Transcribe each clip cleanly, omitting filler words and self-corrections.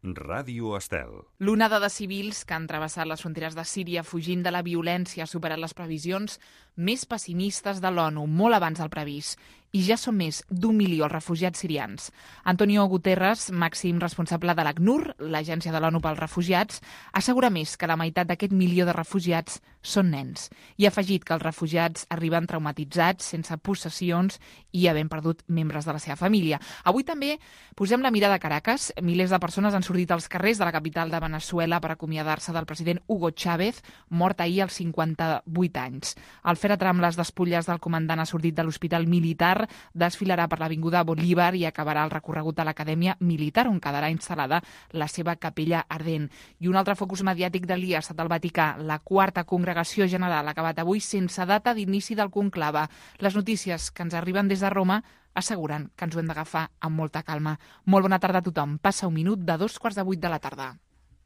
Ràdio Estel. L'onada de civils que han travessat les fronteres de Síria fugint de la violència ha superat les previsions més pessimistes de l'ONU, molt abans del previst. I ja són més d'1 milió els refugiats sirians. Antonio Guterres, màxim responsable de l'ACNUR, l'Agència de l'ONU pels Refugiats, assegura més que la meitat d'aquest milió de refugiats són nens. I ha afegit que els refugiats arriben traumatitzats, sense possessions i havent perdut membres de la seva família. Avui també posem la mirada a Caracas. Milers de persones han sortit als carrers de la capital de Veneçuela per acomiadar-se del president Hugo Chávez, mort ahir als 58 anys. El fèretre amb les despulles del comandant ha sortit de l'hospital militar, desfilarà per l'avinguda Bolívar i acabarà el recorregut a l'Acadèmia Militar, on quedarà instal·lada la seva capella ardent. I un altre focus mediàtic del dia ha estat el Vaticà. La quarta congregació general ha acabat avui sense data d'inici del conclave. Les notícies que ens arriben des de Roma asseguren que ens ho hem d'agafar amb molta calma. Molt bona tarda a tothom. Passa un minut de 7:45 de la tarda.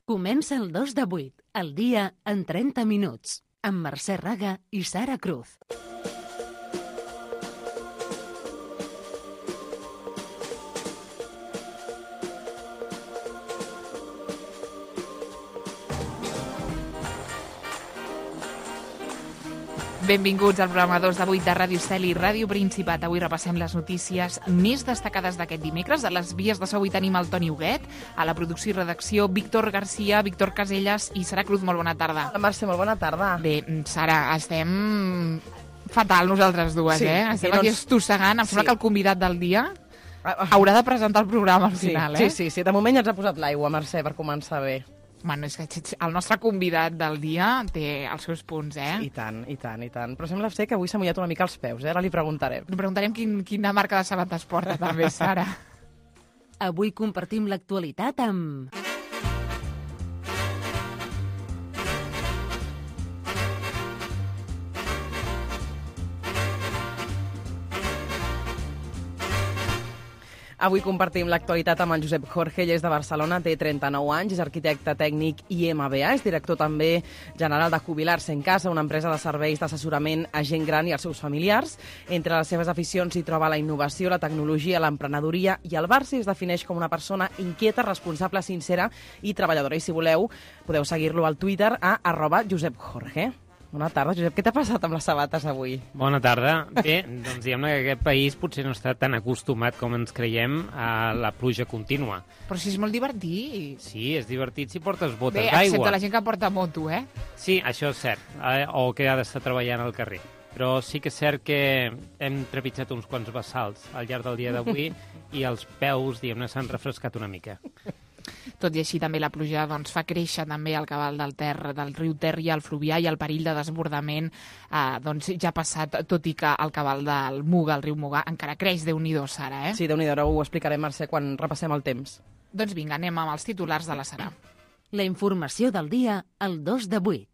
Comença el 2 de 8, el dia en 30 minuts, amb Mercè Raga i Sara Cruz. Benvinguts al programa 2 de 8 de Ràdio Estel i Ràdio Principat. Avui repassem les notícies més destacades d'aquest dimecres. A les vies de so avui tenim el Toni Huguet, a la producció i redacció Víctor Garcia, Víctor Casellas i Sara Cruz. Molt bona tarda. Hola, Mercè, molt bona tarda. Bé, Sara, estem fatal nosaltres dues, sí, Estem aquí estossegant. Em sembla que el convidat del dia haurà de presentar el programa al final, Sí. De moment ja ens ha posat l'aigua, Mercè, per començar bé. Bueno, és que el nostre convidat del dia té els seus punts, I tant. Però sembla ser que avui s'ha mullat una mica els peus, Ara li preguntarem. Li preguntarem quina marca de sabates porta, també, Sara. Avui compartim l'actualitat amb... Avui compartim l'actualitat amb en Josep Jorge, ell és de Barcelona, té 39 anys, és arquitecte tècnic i MBA, és director també general de Jubilar-se en Casa, una empresa de serveis d'assessorament a gent gran i als seus familiars. Entre les seves aficions hi troba la innovació, la tecnologia, l'emprenedoria i el Barça, es defineix com una persona inquieta, responsable, sincera i treballadora. I si voleu, podeu seguir-lo al Twitter a @JosepJorge. Bona tarda, Josep. Què t'ha passat amb les sabates avui? Bona tarda. Bé, doncs diguem-ne que aquest país potser no està tan acostumat com ens creiem a la pluja contínua. Però si és molt divertit. Sí, és divertit si portes botes d'aigua. Bé, excepte la gent que porta moto, Sí, això és cert. O que ha d'estar treballant al carrer. Però sí que és cert que hem trepitjat uns quants vessals al llarg del dia d'avui i els peus, diguem-ne, s'han refrescat una mica. Tot i així, també la pluja fa créixer també el cabal del riu Ter i el fluvià, i el perill de desbordament ja ha passat, tot i que el cabal del Muga, el riu Muga, encara creix. Déu-n'hi-do, Sara, Sí, Déu-n'hi-do, ara ho explicarem, Mercè, quan repassem el temps. Doncs vinga, anem amb els titulars de la Sara. La informació del dia, el 2 de 8.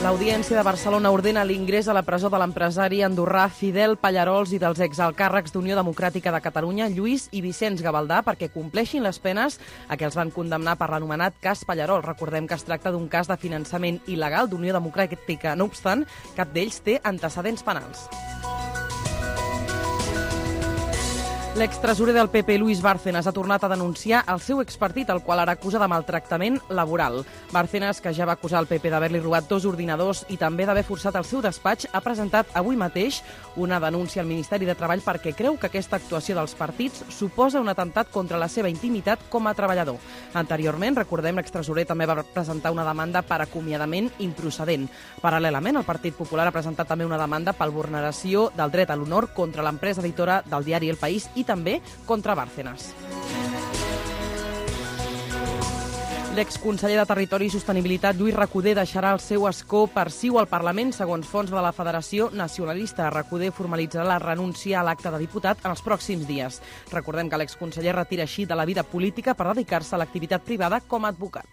L'Audiència de Barcelona ordena l'ingrés a la presó de l'empresari andorrà Fidel Pallarols i dels exalcàrrecs d'Unió Democràtica de Catalunya, Lluís i Vicenç Gavaldà, perquè compleixin les penes a què els van condemnar per l'anomenat cas Pallarols. Recordem que es tracta d'un cas de finançament il·legal d'Unió Democràtica. No obstant, cap d'ells té antecedents penals. L'extresorer del PP, Luis Bárcenas, ha tornat a denunciar el seu expartit, el qual ara acusa de maltractament laboral. Bárcenas, que ja va acusar el PP d'haver-li robat 2 ordinadors i també d'haver forçat el seu despatx, ha presentat avui mateix una denúncia al Ministeri de Treball perquè creu que aquesta actuació dels partits suposa un atemptat contra la seva intimitat com a treballador. Anteriorment, recordem, l'extresorer també va presentar una demanda per acomiadament improcedent. Paral·lelament, el Partit Popular ha presentat també una demanda per vulneració del dret a l'honor contra l'empresa editora del diari El País i també contra Bárcenas. L'exconseller de Territori i Sostenibilitat, Lluís Recoder, deixarà el seu escó per Ciu al Parlament, segons fons de la Federació Nacionalista. Recoder formalitzarà la renúncia a l'acte de diputat en els pròxims dies. Recordem que l'exconseller retira així de la vida política per dedicar-se a l'activitat privada com a advocat.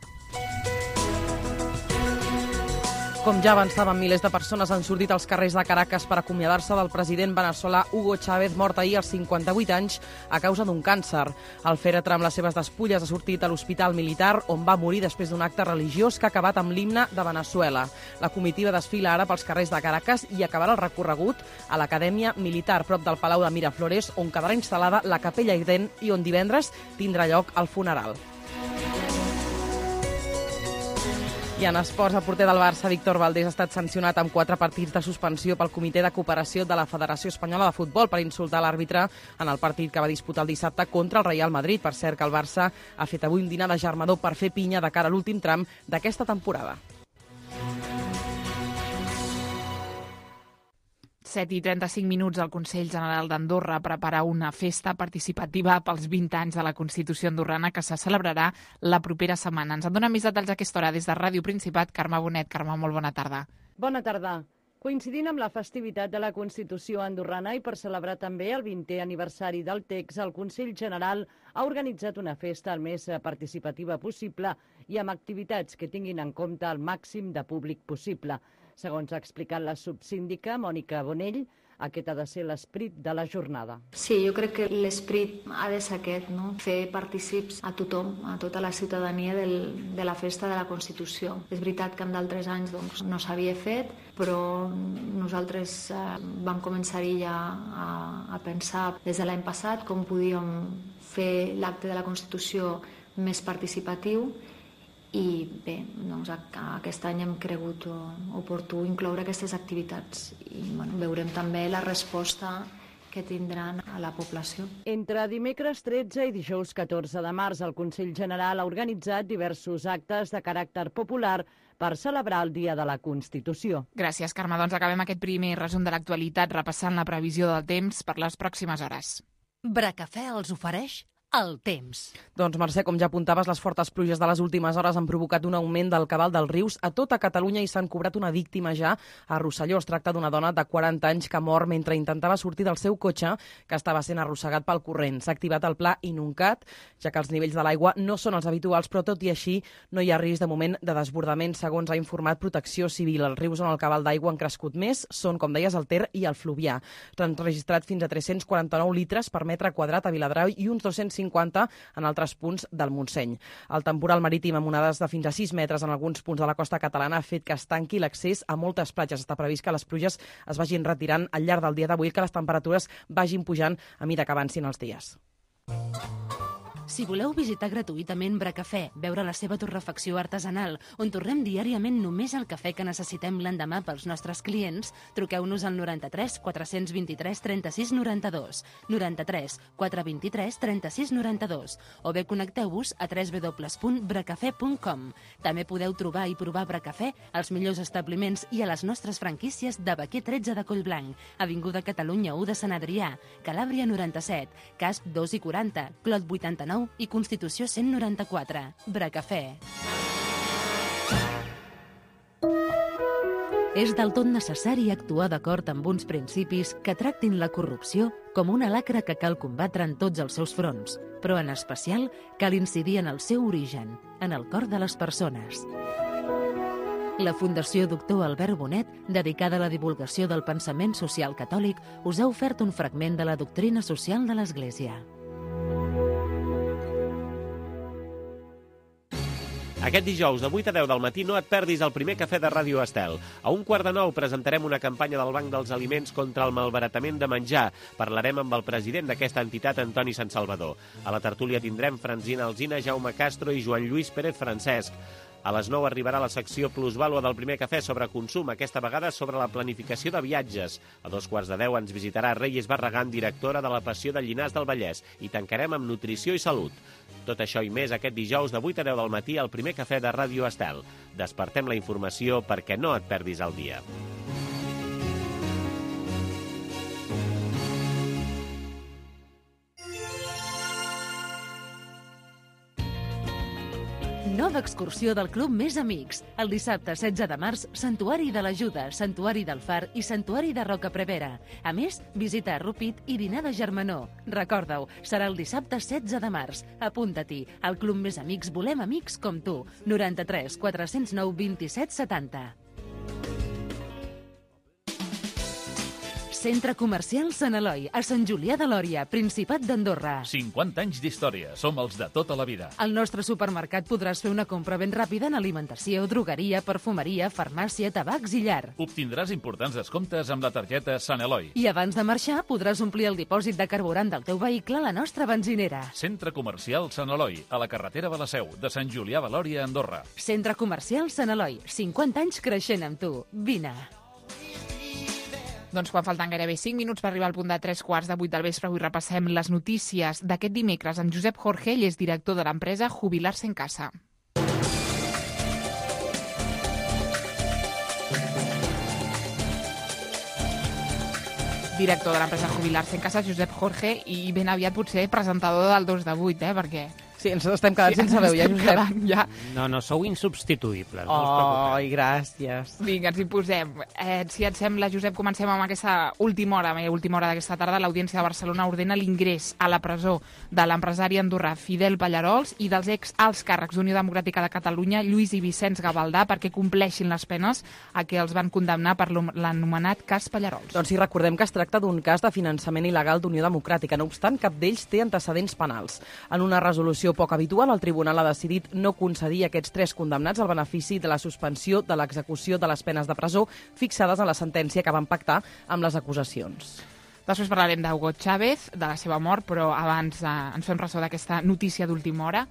Com ja avançaven, milers de persones han sortit als carrers de Caracas per acomiadar-se del president veneçolà Hugo Chávez, mort ahir als 58 anys a causa d'un càncer. El fèretre amb les seves despulles ha sortit a l'hospital militar, on va morir després d'un acte religiós que ha acabat amb l'himne de Veneçuela. La comitiva desfila ara pels carrers de Caracas i acabarà el recorregut a l'Acadèmia Militar, prop del Palau de Miraflores, on quedarà instal·lada la capella ardent i on divendres tindrà lloc el funeral. I en esports, el porter del Barça, Víctor Valdés, ha estat sancionat amb 4 partits de suspensió pel Comitè de Cooperació de la Federació Espanyola de Futbol per insultar l'àrbitre en el partit que va disputar el dissabte contra el Real Madrid. Per cert, que el Barça ha fet avui un dinar de germador per fer pinya de cara a l'últim tram d'aquesta temporada. 7:35, el Consell General d'Andorra prepara una festa participativa pels 20 anys de la Constitució andorrana que se celebrarà la propera setmana. Ens en dona més detalls a aquesta hora des de Ràdio Principat. Carme Bonet. Carme, molt bona tarda. Bona tarda. Coincidint amb la festivitat de la Constitució andorrana i per celebrar també el 20è aniversari del text, el Consell General ha organitzat una festa el més participativa possible i amb activitats que tinguin en compte el màxim de públic possible. Segons ha explicat la subsíndica Mònica Bonell, aquest ha de ser l'esperit de la jornada. Sí, jo crec que l'esperit ha de ser aquest, no? Fer partícips a tothom, a tota la ciutadania de la festa de la Constitució. És veritat que en d'altres anys no s'havia fet, però nosaltres vam començar-hi ja a pensar des de l'any passat com podíem fer l'acte de la Constitució més participatiu. I bé, doncs aquest any hem cregut oportú incloure aquestes activitats i veurem també la resposta que tindran a la població. Entre dimecres 13 i dijous 14 de març, el Consell General ha organitzat diversos actes de caràcter popular per celebrar el Dia de la Constitució. Gràcies, Carme. Doncs acabem aquest primer resum de l'actualitat repassant la previsió del temps per les pròximes hores. Bracafè els ofereix el temps. Doncs, Mercè, com ja apuntaves, les fortes pluges de les últimes hores han provocat un augment del cabal dels rius a tota Catalunya i s'han cobrat una víctima ja a Rosselló. Es tracta d'una dona de 40 anys que ha mort mentre intentava sortir del seu cotxe, que estava sent arrossegat pel corrent. S'ha activat el pla Inuncat, ja que els nivells de l'aigua no són els habituals, però tot i així no hi ha risc de moment de desbordament, segons ha informat Protecció Civil. Els rius on el cabal d'aigua han crescut més són, com deies, el Ter i el Fluvià. S'han registrat fins a 349 litres per metre quadrat a Viladrau i uns 250 en altres punts del Montseny. El temporal marítim amb onades de fins a 6 metres en alguns punts de la costa catalana ha fet que es tanqui l'accés a moltes platges. Està previst que les pluges es vagin retirant al llarg del dia d'avui, que les temperatures vagin pujant a mesura que avancin els dies. Si voleu visitar gratuïtament Bracafè, veure la seva torrefacció artesanal, on torrem diàriament només el cafè que necessitem l'endemà pels nostres clients, truqueu-nos al 93 423 36 92, 93 423 36 92, o bé connecteu-vos a www.bracafè.com. També podeu trobar i provar Bracafè als millors establiments i a les nostres franquícies de Baquer 13 de Collblanc, Avinguda Catalunya 1 de Sant Adrià, Calàbria 97, Casp 2 i 40, Clot 89 i Constitució 194. Bracafè. És del tot necessari actuar d'acord amb uns principis que tractin la corrupció com una lacra que cal combatre en tots els seus fronts, però en especial cal incidir en el seu origen, en el cor de les persones. La Fundació Doctor Albert Bonet, dedicada a la divulgació del pensament social catòlic, us ha ofert un fragment de la doctrina social de l'Església. Aquest dijous, de 8 a 10 del matí, no et perdis el primer cafè de Ràdio Estel. A 8:45 presentarem una campanya del Banc dels Aliments contra el malbaratament de menjar. Parlarem amb el president d'aquesta entitat, Antoni Santsalvador. A la tertúlia tindrem Francina Alsina, Jaume Castro i Joan Lluís Pérez Francesc. A les 9 arribarà la secció Plusvàlua del primer cafè sobre consum, aquesta vegada sobre la planificació de viatges. A 9:15 ens visitarà Reyes Barragán, directora de la Passió de Llinars del Vallès, i tancarem amb nutrició i salut. Tot això i més aquest dijous de 8 a 10 del matí al primer cafè de Ràdio Estel. Despertem la informació perquè no et perdis el dia. Nova excursió del Club Més Amics. El dissabte 16 de març, Santuari de l'Ajuda, Santuari del Far i Santuari de Roca Prevera. A més, visita a Rupit i dinar de germanor. Recorda-ho, serà el dissabte 16 de març. Apunta-t'hi. Al Club Més Amics volem amics com tu. 93 409 27 70. Centre Comercial Sant Eloi, a Sant Julià de Lòria, Principat d'Andorra. 50 anys d'història. Som els de tota la vida. Al nostre supermercat podràs fer una compra ben ràpida en alimentació, drogueria, perfumeria, farmàcia, tabacs i llar. Obtindràs importants descomptes amb la targeta Sant Eloi. I abans de marxar podràs omplir el dipòsit de carburant del teu vehicle a la nostra benzinera. Centre Comercial Sant Eloi, a la carretera de la Seu, de Sant Julià de Lòria, Andorra. Centre Comercial Sant Eloi, 50 anys creixent amb tu. Vine. Doncs quan falten gairebé 5 minuts per arribar al punt de 3:15 del vespre, avui repassem les notícies d'aquest dimecres. En Josep Jorge, ell és director de l'empresa Jubilar-se en Casa. Director de l'empresa Jubilar-se en Casa, Josep Jorge, i ben aviat potser presentador del 2 de 8, perquè... Sí, ens estem quedant sense veu, ja, Josep. Ja. No, sou insubstituïbles. Gràcies. Vinga, ens hi posem. Si et sembla, Josep, comencem amb aquesta última hora d'aquesta tarda. L'Audiència de Barcelona ordena l'ingrés a la presó de l'empresari andorrà Fidel Pallarols i dels ex-alts càrrecs d'Unió Democràtica de Catalunya, Lluís i Vicenç Gavaldà, perquè compleixin les penes a què els van condemnar per l'anomenat cas Pallarols. Doncs sí, recordem que es tracta d'un cas de finançament il·legal d'Unió Democràtica. No obstant, cap d'ells té antecedents penals. En una resolució poc habitual, el tribunal ha decidit no concedir a aquests 3 condemnats el benefici de la suspensió de l'execució de les penes de presó fixades en la sentència que van pactar amb les acusacions. Després parlarem d'Hugo Chávez, de la seva mort, però abans ens fem ressò d'aquesta notícia d'última hora.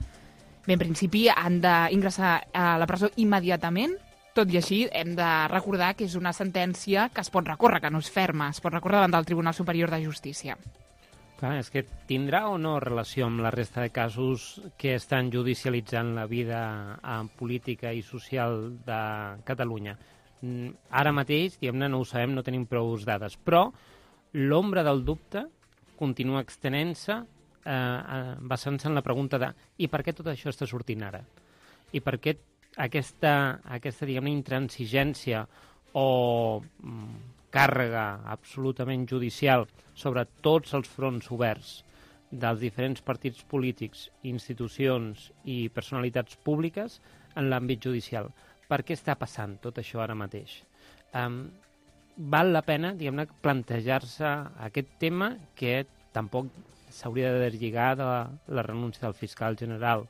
Bé, en principi han d'ingressar a la presó immediatament, tot i així hem de recordar que és una sentència que es pot recórrer, que no és ferma, es pot recórrer davant del Tribunal Superior de Justícia. Clar, és que tindrà o no relació amb la resta de casos que estan judicialitzant la vida política i social de Catalunya? Ara mateix, diguem-ne, no ho sabem, no tenim prou dades, però l'ombra del dubte continua extenent-se basant-se en la pregunta de i per què tot això està sortint ara? I per què aquesta diguem-ne, intransigència o càrrega absolutament judicial sobre tots els fronts oberts dels diferents partits polítics, institucions i personalitats públiques en l'àmbit judicial. Per què està passant tot això ara mateix? Val la pena, diguem-ne, plantejar-se aquest tema que tampoc s'hauria de deslligar de la renúncia del fiscal general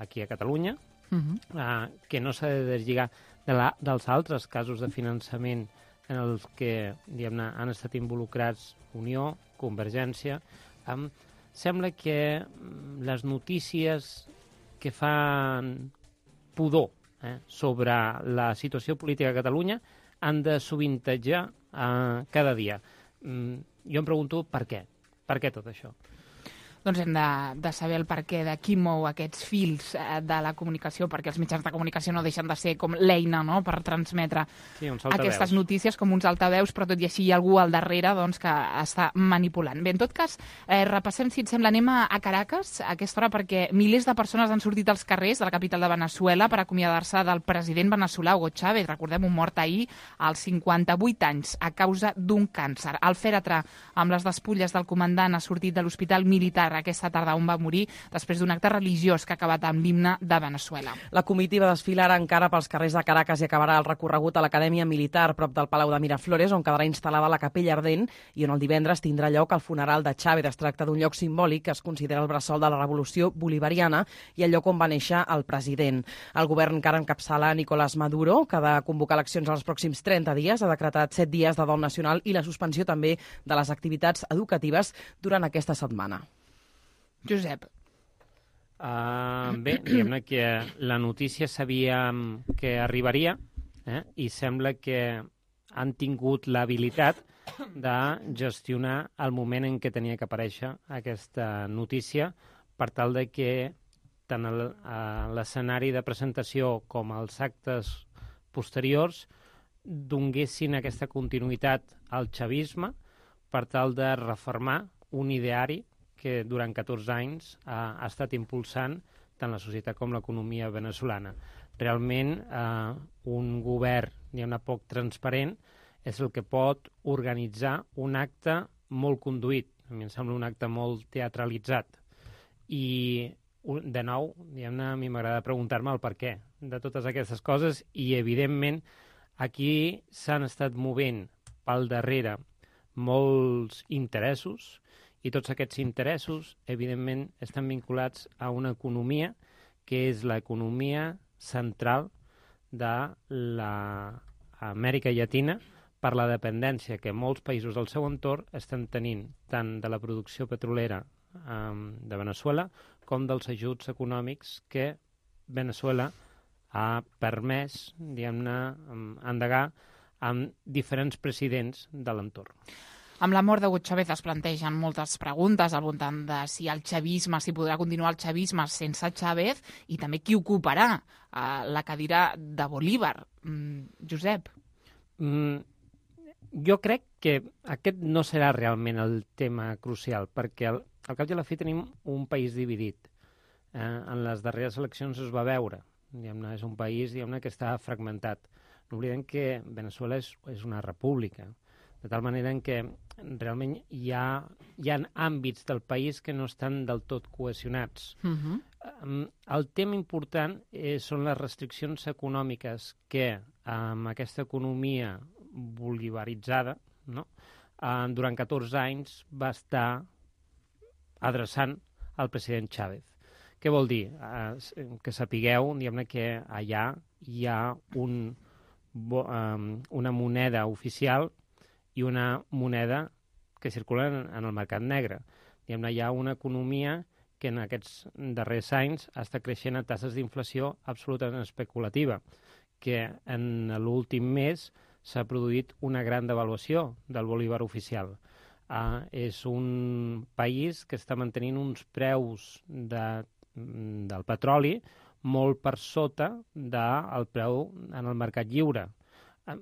aquí a Catalunya, que no s'ha de deslligar dels altres casos de finançament en els que, diguem-ne, han estat involucrats Unió, Convergència. Sembla que les notícies que fan pudor sobre la situació política a Catalunya han de sovintejar cada dia. Jo em pregunto per què? Per què tot això? Doncs hem de saber el perquè de qui mou aquests fils de la comunicació, perquè els mitjans de comunicació no deixen de ser com l'eina, no?, per transmetre aquestes notícies com uns altaveus, però tot i així hi ha algú al darrere doncs, que està manipulant. Bé, en tot cas, repassem, si et sembla, anem a Caracas a aquesta hora, perquè milers de persones han sortit als carrers de la capital de Veneçuela per acomiadar-se del president veneçolà Hugo Chávez. Recordem, un mort ahir als 58 anys a causa d'un càncer. El fèretre amb les despulles del comandant ha sortit de l'hospital militar aquesta tarda on va morir després d'un acte religiós que ha acabat amb l'himne de Veneçuela. La comitiva desfilarà encara pels carrers de Caracas i acabarà el recorregut a l'Acadèmia Militar prop del Palau de Miraflores, on quedarà instal·lada la capella ardent i on el divendres tindrà lloc el funeral de Chávez. Es tracta d'un lloc simbòlic que es considera el bressol de la revolució bolivariana i el lloc on va néixer el president. El govern que ara encapçala Nicolás Maduro, que ha de convocar eleccions els pròxims 30 dies, ha decretat 7 dies de dol nacional i la suspensió també de les activitats educatives durant aquesta setmana. Josep. Bé, diguem-ne que la notícia sabíem que arribaria i sembla que han tingut l'habilitat de gestionar el moment en què tenia que aparèixer aquesta notícia per tal de que tant l'escenari de presentació com els actes posteriors donguessin aquesta continuïtat al xavisme per tal de refermar un ideari que durant 14 anys ha estat impulsant tant la societat com l'economia venezolana. Realment, un govern, diguem-ne, poc transparent és el que pot organitzar un acte molt conduït. A mi em sembla un acte molt teatralitzat. I, de nou, diguem-ne, a mi m'agrada preguntar-me el per què de totes aquestes coses i, evidentment, aquí s'han estat movent pel darrere molts interessos, i tots aquests interessos, evidentment, estan vinculats a una economia que és l'economia central de l'Amèrica Llatina per la dependència que molts països del seu entorn estan tenint tant de la producció petrolera de Veneçuela com dels ajuts econòmics que Veneçuela ha permès, diguem-ne, endegar amb diferents presidents de l'entorn. Amb la mort de Hugo Chávez es plantegen moltes preguntes al voltant de si el xavisme, si podrà continuar el xavisme sense Chávez i també qui ocuparà la cadira de Bolívar. Josep? Jo crec que aquest no serà realment el tema crucial, perquè al cap i a la fi tenim un país dividit. En les darreres eleccions es va veure. És un país que està fragmentat. No oblidem que Veneçuela és una república, de tal manera en què realment hi ha àmbits del país que no estan del tot cohesionats. El tema important són les restriccions econòmiques que amb aquesta economia bolivaritzada, durant 14 anys va estar adreçant al president Chávez. Què vol dir? Que sapigueu que allà hi ha una moneda oficial i una moneda que circula en el mercat negre. Hi ha una economia que en aquests darrers anys està creixent a tasses d'inflació absolutament especulativa, que en l'últim mes s'ha produït una gran devaluació del bolívar oficial. És un país que està mantenint uns preus del petroli molt per sota del preu en el mercat lliure.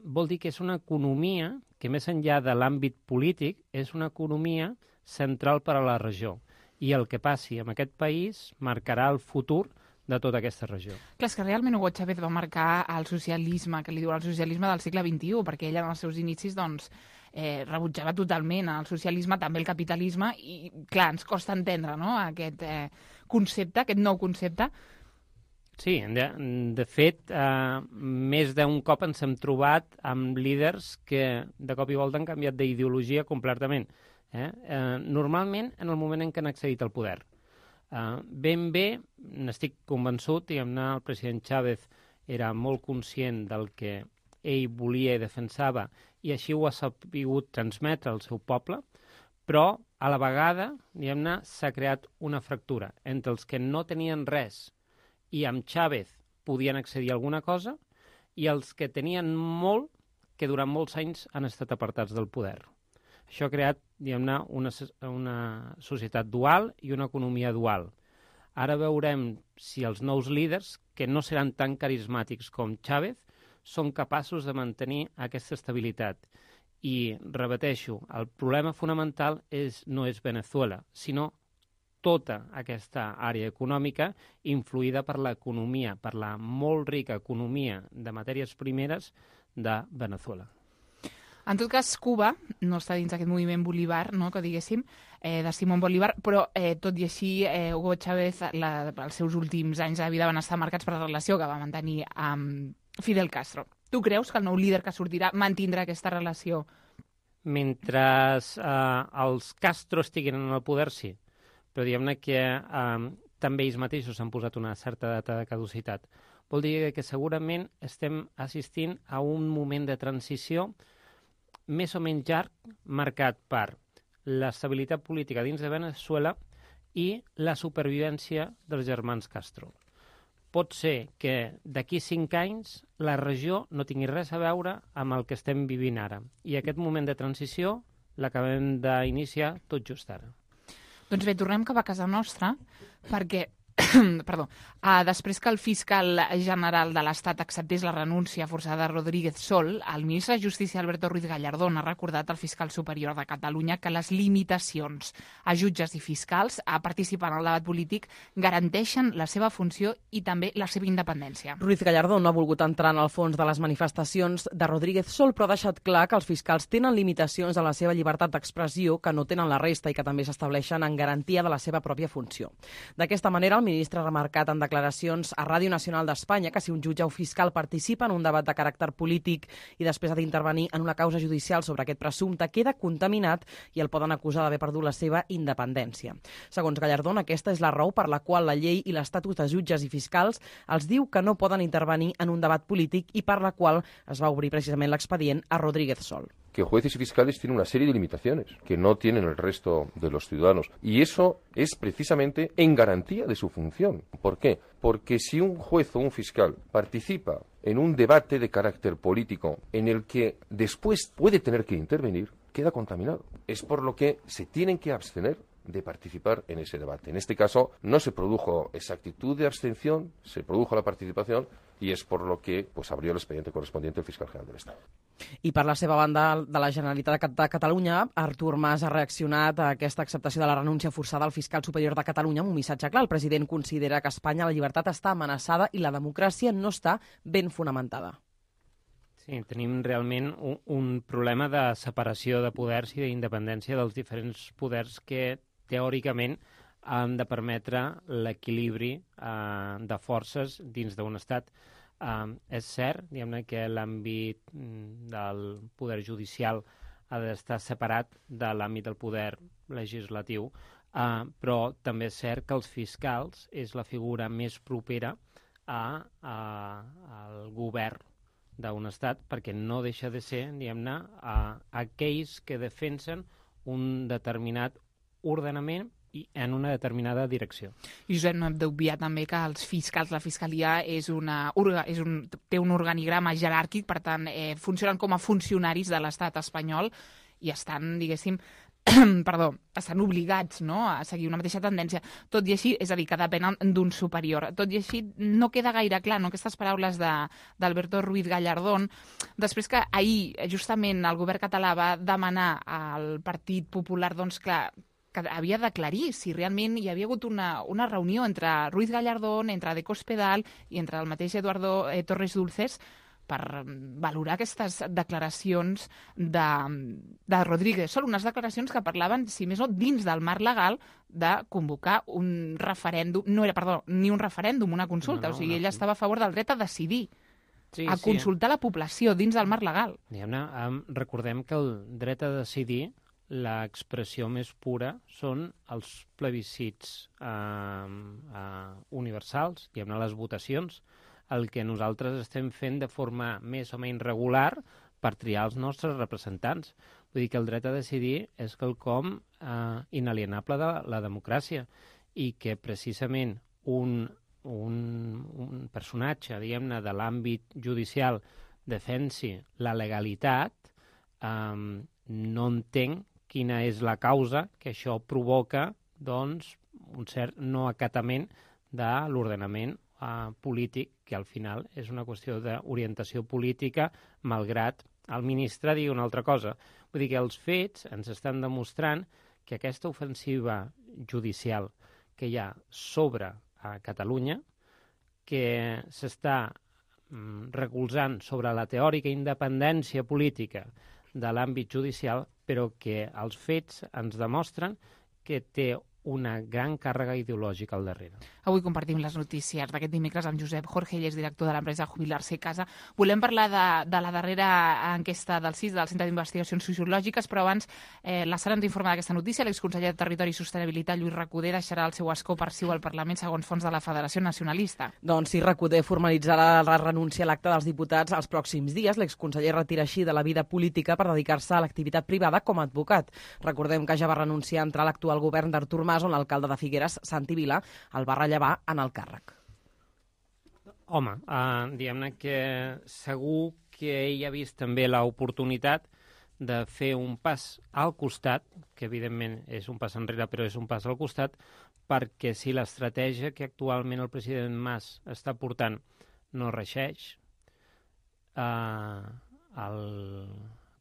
Vol dir que és una economia que, més enllà de l'àmbit polític, és una economia central per a la regió. I el que passi en aquest país marcarà el futur de tota aquesta regió. Clar, és que realment Hugo Chávez va marcar el socialisme, que li diuen el socialisme del segle XXI, perquè ell en els seus inicis rebutjava totalment el socialisme, també el capitalisme, i clar, ens costa entendre aquest concepte, aquest nou concepte. Sí, de fet, més d'un cop ens hem trobat amb líders que de cop i volta han canviat d'ideologia completament. Normalment en el moment en què han accedit al poder. Ben bé, n'estic convençut, el president Chávez era molt conscient del que ell volia i defensava i així ho ha sabut transmetre al seu poble, però a la vegada s'ha creat una fractura entre els que no tenien res i amb Chávez podien accedir a alguna cosa i els que tenien molt que durant molts anys han estat apartats del poder. Això ha creat, una societat dual i una economia dual. Ara veurem si els nous líders, que no seran tan carismàtics com Chávez, són capaços de mantenir aquesta estabilitat. I, repeteixo, el problema fonamental no és Veneçuela, sinó tota aquesta àrea econòmica influïda per l'economia, per la molt rica economia de matèries primeres de Veneçuela. En tot cas, Cuba no està dins d'aquest moviment Bolívar, que diguéssim, de Simón Bolívar, però tot i així Hugo Chávez, els seus últims anys de vida van estar marcats per la relació que va mantenir amb Fidel Castro. Tu creus que el nou líder que sortirà mantindrà aquesta relació? Mentre els Castro estiguin en el poder, sí. Però diguem-ne que també ells mateixos han posat una certa data de caducitat. Vol dir que segurament estem assistint a un moment de transició més o menys llarg, marcat per l'estabilitat política dins de Veneçuela i la supervivència dels germans Castro. Pot ser que d'aquí 5 anys la regió no tingui res a veure amb el que estem vivint ara. I aquest moment de transició l'acabem d'iniciar tot just ara. Doncs bé, tornem cap a casa nostra, perquè després que el fiscal general de l'Estat acceptés la renúncia forçada de Rodríguez Sol, el ministre de Justícia Alberto Ruiz Gallardón ha recordat al fiscal superior de Catalunya que les limitacions a jutges i fiscals a participar en el debat polític garanteixen la seva funció i també la seva independència. Ruiz Gallardón no ha volgut entrar en el fons de les manifestacions de Rodríguez Sol, però ha deixat clar que els fiscals tenen limitacions en la seva llibertat d'expressió que no tenen la resta i que també s'estableixen en garantia de la seva pròpia funció. D'aquesta manera, el ministre ha remarcat en declaracions a Ràdio Nacional d'Espanya que si un jutge o fiscal participa en un debat de caràcter polític i després ha d'intervenir en una causa judicial sobre aquest presumpte, queda contaminat i el poden acusar d'haver perdut la seva independència. Segons Gallardón, aquesta és la raó per la qual la llei i l'estatut de jutges i fiscals els diu que no poden intervenir en un debat polític i per la qual es va obrir precisament l'expedient a Rodríguez Sol. Que jueces y fiscales tienen una serie de limitaciones que no tienen el resto de los ciudadanos. Y eso es precisamente en garantía de su función. ¿Por qué? Porque si un juez o un fiscal participa en un debate de carácter político en el que después puede tener que intervenir, queda contaminado. Es por lo que se tienen que abstener de participar en ese debate. En este caso no se produjo esa actitud de abstención, se produjo la participación y es por lo que abrió el expediente correspondiente el fiscal general del Estado. I per la seva banda, de la Generalitat de Catalunya, Artur Mas ha reaccionat a aquesta acceptació de la renúncia forçada al fiscal superior de Catalunya amb un missatge clar. El president considera que a Espanya la llibertat està amenaçada i la democràcia no està ben fonamentada. Sí, tenim realment un problema de separació de poders i d'independència dels diferents poders que teòricament han de permetre l'equilibri de forces dins d'un estat. És cert, diguem-ne, que l'àmbit del poder judicial ha d'estar separat de l'àmbit del poder legislatiu, però també és cert que els fiscals és la figura més propera al govern d'un estat, perquè no deixa de ser, diguem-ne, aquells que defensen un determinat ordenament i en una determinada direcció. I Josep, no hem d'obviar també que els fiscals, la fiscalia té un organigrama jeràrquic, per tant, funcionen com a funcionaris de l'estat espanyol i estan, diguéssim, estan obligats, no?, a seguir una mateixa tendència. Tot i així, és a dir, que depenen d'un superior. Tot i així, no queda gaire clar, no?, aquestes paraules d'Alberto Ruiz Gallardón, després que ahir, justament, el govern català va demanar al Partit Popular, doncs, clar, que havia d'aclarir si realment hi havia hagut una reunió entre Ruiz Gallardón, entre De Cospedal i entre el mateix Eduardo Torres Dulces per valorar aquestes declaracions de Rodríguez Sol, unes declaracions que parlaven, si més no, dins del marc legal de convocar un referèndum, ni un referèndum, una consulta, o sigui, ell estava a favor del dret a decidir, a consultar la població dins del marc legal. Recordem que el dret a decidir, l'expressió més pura són els plebiscits universals, diguem-ne, les votacions, el que nosaltres estem fent de forma més o menys regular per triar els nostres representants. Vull dir que el dret a decidir és quelcom inalienable de la democràcia i que precisament un personatge, diguem-ne, de l'àmbit judicial defensi la legalitat, no entenc quina és la causa que això provoca, doncs, un cert no acatament de l'ordenament polític, que al final és una qüestió d'orientació política, malgrat el ministre digui una altra cosa. Vull dir que els fets ens estan demostrant que aquesta ofensiva judicial que hi ha sobre Catalunya, que s'està recolzant sobre la teòrica independència política de l'àmbit judicial, però que els fets ens demostren que té una gran càrrega ideològica al darrere. Avui compartim les notícies d'aquest dimecres amb Josep Jorge, ell és director de l'empresa Jubilar-se Casa. Volem parlar de la darrera enquesta del CIS, del Centre d'Investigacions Sociològiques, però abans la Sara ens informa d'aquesta notícia. L'exconseller de Territori i Sostenibilitat, Lluís Recoder, deixarà el seu escó per siu al Parlament segons fons de la Federació Nacionalista. Doncs sí, Recoder formalitzarà la renúncia a l'acte dels diputats els pròxims dies. L'exconseller retira així de la vida política per dedicar-se a l'activitat privada com a advocat. Recordem que ja va renunciar a entrar a l'actual govern d'Artur Mas, on l'alcalde de Figueres, Santi Vila, el va rellevar en el càrrec. Home, diguem-ne que segur que ell ha vist també l'oportunitat de fer un pas al costat, que evidentment és un pas enrere, però és un pas al costat, perquè si l'estratègia que actualment el president Mas està portant no reixeix,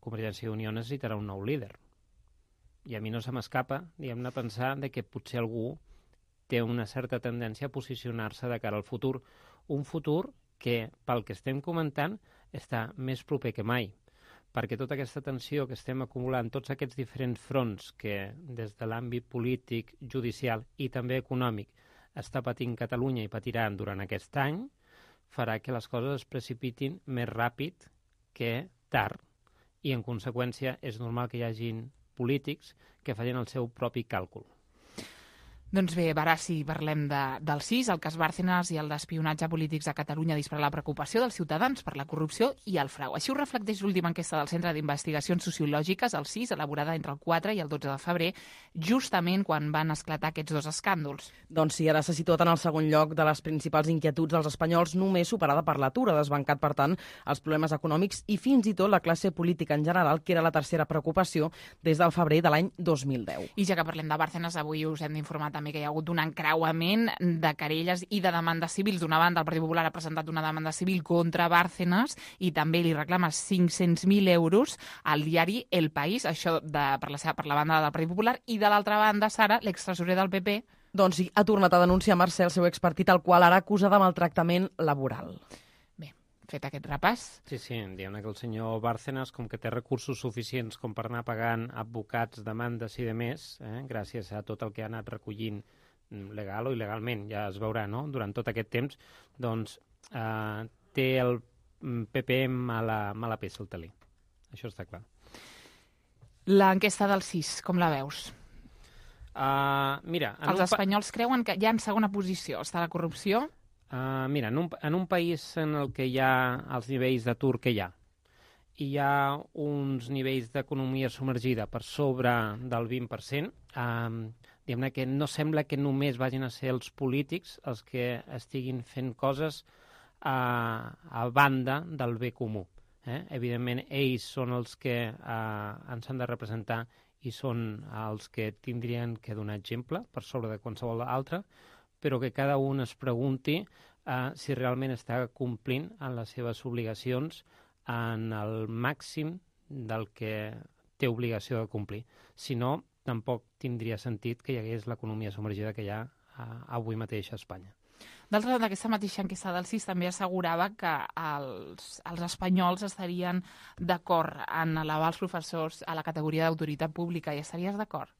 Convergència i Unió necessitarà un nou líder. I a mi no se m'escapa, diguem-ne, pensar que potser algú té una certa tendència a posicionar-se de cara al futur. Un futur que, pel que estem comentant, està més proper que mai. Perquè tota aquesta tensió que estem acumulant, tots aquests diferents fronts que des de l'àmbit polític, judicial i també econòmic està patint Catalunya i patiran durant aquest any farà que les coses es precipitin més ràpid que tard. I, en conseqüència, és normal que hi hagin polítics que facin el seu propi càlcul. Doncs bé, ara sí, parlem del CIS, el cas Bárcenas i el d'espionatge polítics a Catalunya dispara la preocupació dels ciutadans per la corrupció i el frau. Així ho reflecteix l'última enquesta del Centre d'Investigacions Sociològiques, el CIS, elaborada entre el 4 i el 12 de febrer, justament quan van esclatar aquests dos escàndols. Doncs sí, ara s'ha situat en el segon lloc de les principals inquietuds dels espanyols, només superada per l'atur, ha desbancat, per tant, els problemes econòmics i fins i tot la classe política en general, que era la tercera preocupació des del febrer de l'any 2010. I ja que parlem de Bárcenas, avui us hem d'informar també que hi ha hagut un encreuament de querelles i de demandes civils. D'una banda, el Partit Popular ha presentat una demanda civil contra Bárcenas i també li reclama 500.000 euros al diari El País, això per la banda del Partit Popular, i de l'altra banda, Sara, l'extresorer del PP. Doncs sí, ha tornat a denunciar Mercè, el seu expartit, el qual ara acusa de maltractament laboral. Fet aquest repàs. Sí, diguem-ne que el senyor Bárcenas, com que té recursos suficients com per anar pagant advocats, demandes i demés, gràcies a tot el que ha anat recollint legal o il·legalment, ja es veurà, no?, durant tot aquest temps, doncs té el PP mala peça al talí. Això està clar. L'enquesta del CIS, com la veus? Mira... Els espanyols creuen que ja en segona posició està la corrupció? Mira, en un país en el que hi ha els nivells d'atur que hi ha uns nivells d'economia submergida per sobre del 20%, diguem-ne que no sembla que només vagin a ser els polítics els que estiguin fent coses a banda del bé comú. Evidentment, ells són els que ens han de representar i són els que tindrien que donar exemple per sobre de qualsevol altre, però que cada un es pregunti si realment està complint en les seves obligacions en el màxim del que té obligació de complir. Si no, tampoc tindria sentit que hi hagués l'economia submergida que hi ha avui mateix a Espanya. D'altra banda, aquesta mateixa enquesta del CIS també assegurava que els espanyols estarien d'acord en elevar els professors a la categoria d'autoritat pública. Hi estaries d'acord?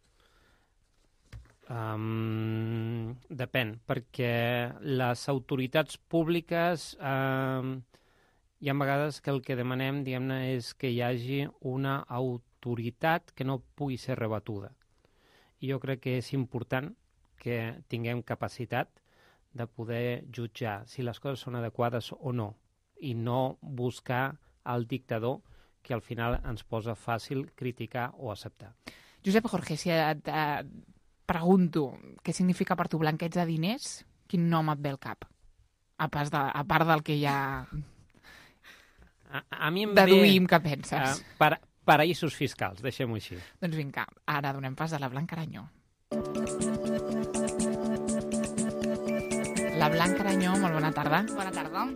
Depèn, perquè les autoritats públiques hi ha vegades que el que demanem, diguem-ne, és que hi hagi una autoritat que no pugui ser rebatuda. I jo crec que és important que tinguem capacitat de poder jutjar si les coses són adequades o no, i no buscar el dictador que al final ens posa fàcil criticar o acceptar. Josep Jorge, si et pregunto què significa per tu blanqueig de diners, quin nom et ve al cap? A part del que ja a mi em deduïm que penses. Paraïsos fiscals, deixem-ho així. Doncs vinga, ara donem pas a la Blanca Aranyó. La Blanca Aranyó, molt bona tarda. Bona tarda.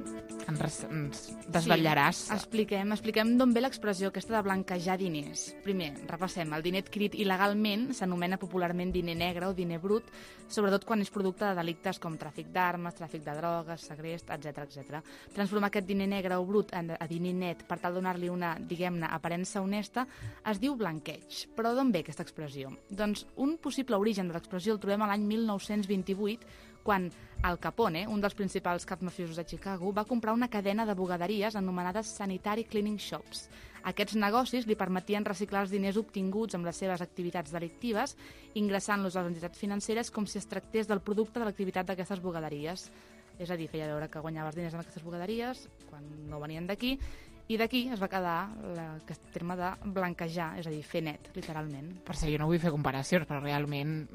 Ens desvetllaràs. Sí, expliquem d'on ve l'expressió aquesta de blanquejar diners. Primer, repassem. El diner adquirit il·legalment s'anomena popularment diner negre o diner brut, sobretot quan és producte de delictes com tràfic d'armes, tràfic de drogues, segrest, etc. Transformar aquest diner negre o brut a diner net per tal de donar-li una, diguem-ne, aparença honesta, es diu blanqueig. Però d'on ve aquesta expressió? Doncs un possible origen de l'expressió el trobem a l'any 1928, quan Al Capone, un dels principals caps mafiosos de Chicago, va comprar una cadena de bugaderies anomenades Sanitary Cleaning Shops. Aquests negocis li permetien reciclar els diners obtinguts amb les seves activitats delictives, ingressant-los a les entitats financeres com si es tractés del producte de l'activitat d'aquestes bugaderies. És a dir, feia veure que guanyaves diners amb aquestes bugaderies quan no venien d'aquí, i d'aquí es va quedar aquest terme de blanquejar, és a dir, fer net, literalment. Per això jo no vull fer comparacions, però realment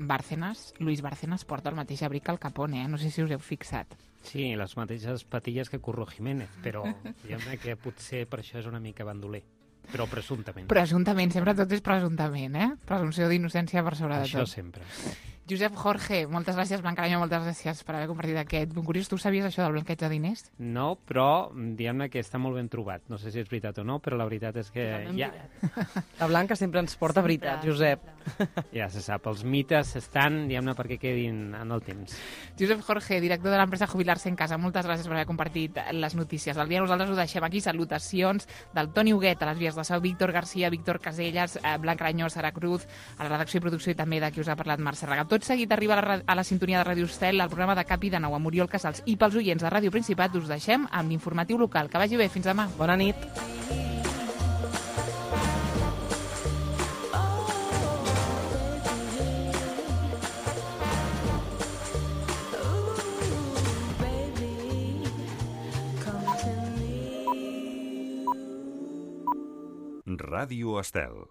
Luis Bárcenas porta el mateix abric que Al Capone, no sé si us heu fixat. Sí, les mateixes patilles que Curro Jiménez, però diguem-ne que potser per això és una mica bandoler, però presumptament. Presumptament, sempre tot és presumptament, Presumpció d'innocència per sobre de tot. Això sempre. Josep Jorge, moltes gràcies, Blanca Aranyó, moltes gràcies per haver compartit aquest bon curiós. Tu sabies això del blanqueig de diners? No, però diguem-ne que està molt ben trobat. No sé si és veritat o no, però la veritat és que La Blanca sempre ens porta veritat, Josep. Ja se sap, els mites estan, diguem-ne, perquè quedin en el temps. Josep Jorge, director de l'empresa Jubilar-se en Casa, moltes gràcies per haver compartit les notícies del dia. Nosaltres ho deixem aquí. Salutacions del Toni Huguet a les vies de so, Víctor Garcia, Víctor Casellas, Blanca Aranyó, Sara Cruz, a la redacció i producció i també de qui us ha parlat Mercè Regató. Tot seguit arriba a la sintonia de Ràdio Estel el programa de Cap i de Nou amb Oriol Casals. I pels oients de Ràdio Principat us deixem amb l'informatiu local. Que vagi bé, fins demà. Bona nit. Ràdio Estel.